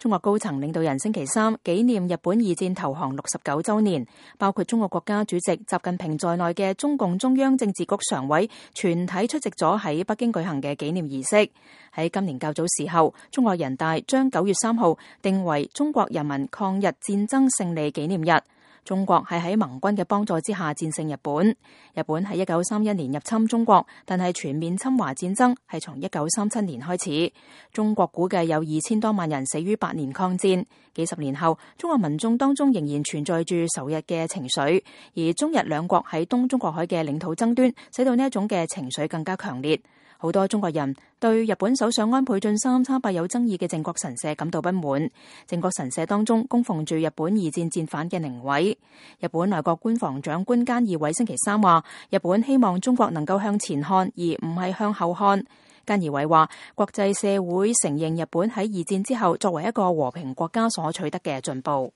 中國高層領導人星期三紀念日本二戰投降69週年，包括中國國家主席習近平在內嘅中共中央政治局常委全體出席咗喺北京舉行嘅紀念儀式。喺今年較早時候，中國人大將9月3號定為中國人民抗日戰爭勝利紀念日。中國係喺盟軍嘅幫助之下戰勝日本。日本喺1931年入侵中國，但係全面侵華戰爭係從1937年開始。中國估計有2000多萬人死於8年抗戰。幾十年後，中國民眾當中仍然存在住仇日嘅情緒，而中日兩國喺東中國海嘅領土爭端，使到呢一種嘅情緒更加強烈。好多中國人對日本首相安倍晉三參拜有爭議嘅靖國神社感到不滿。靖國神社當中供奉住日本二戰戰犯嘅靈位。日本內閣官房長官菅義偉星期三話，日本希望中國能夠向前看，而唔係向後看。菅義偉話，國際社會承認日本喺二戰之後作為一個和平國家所取得嘅進步。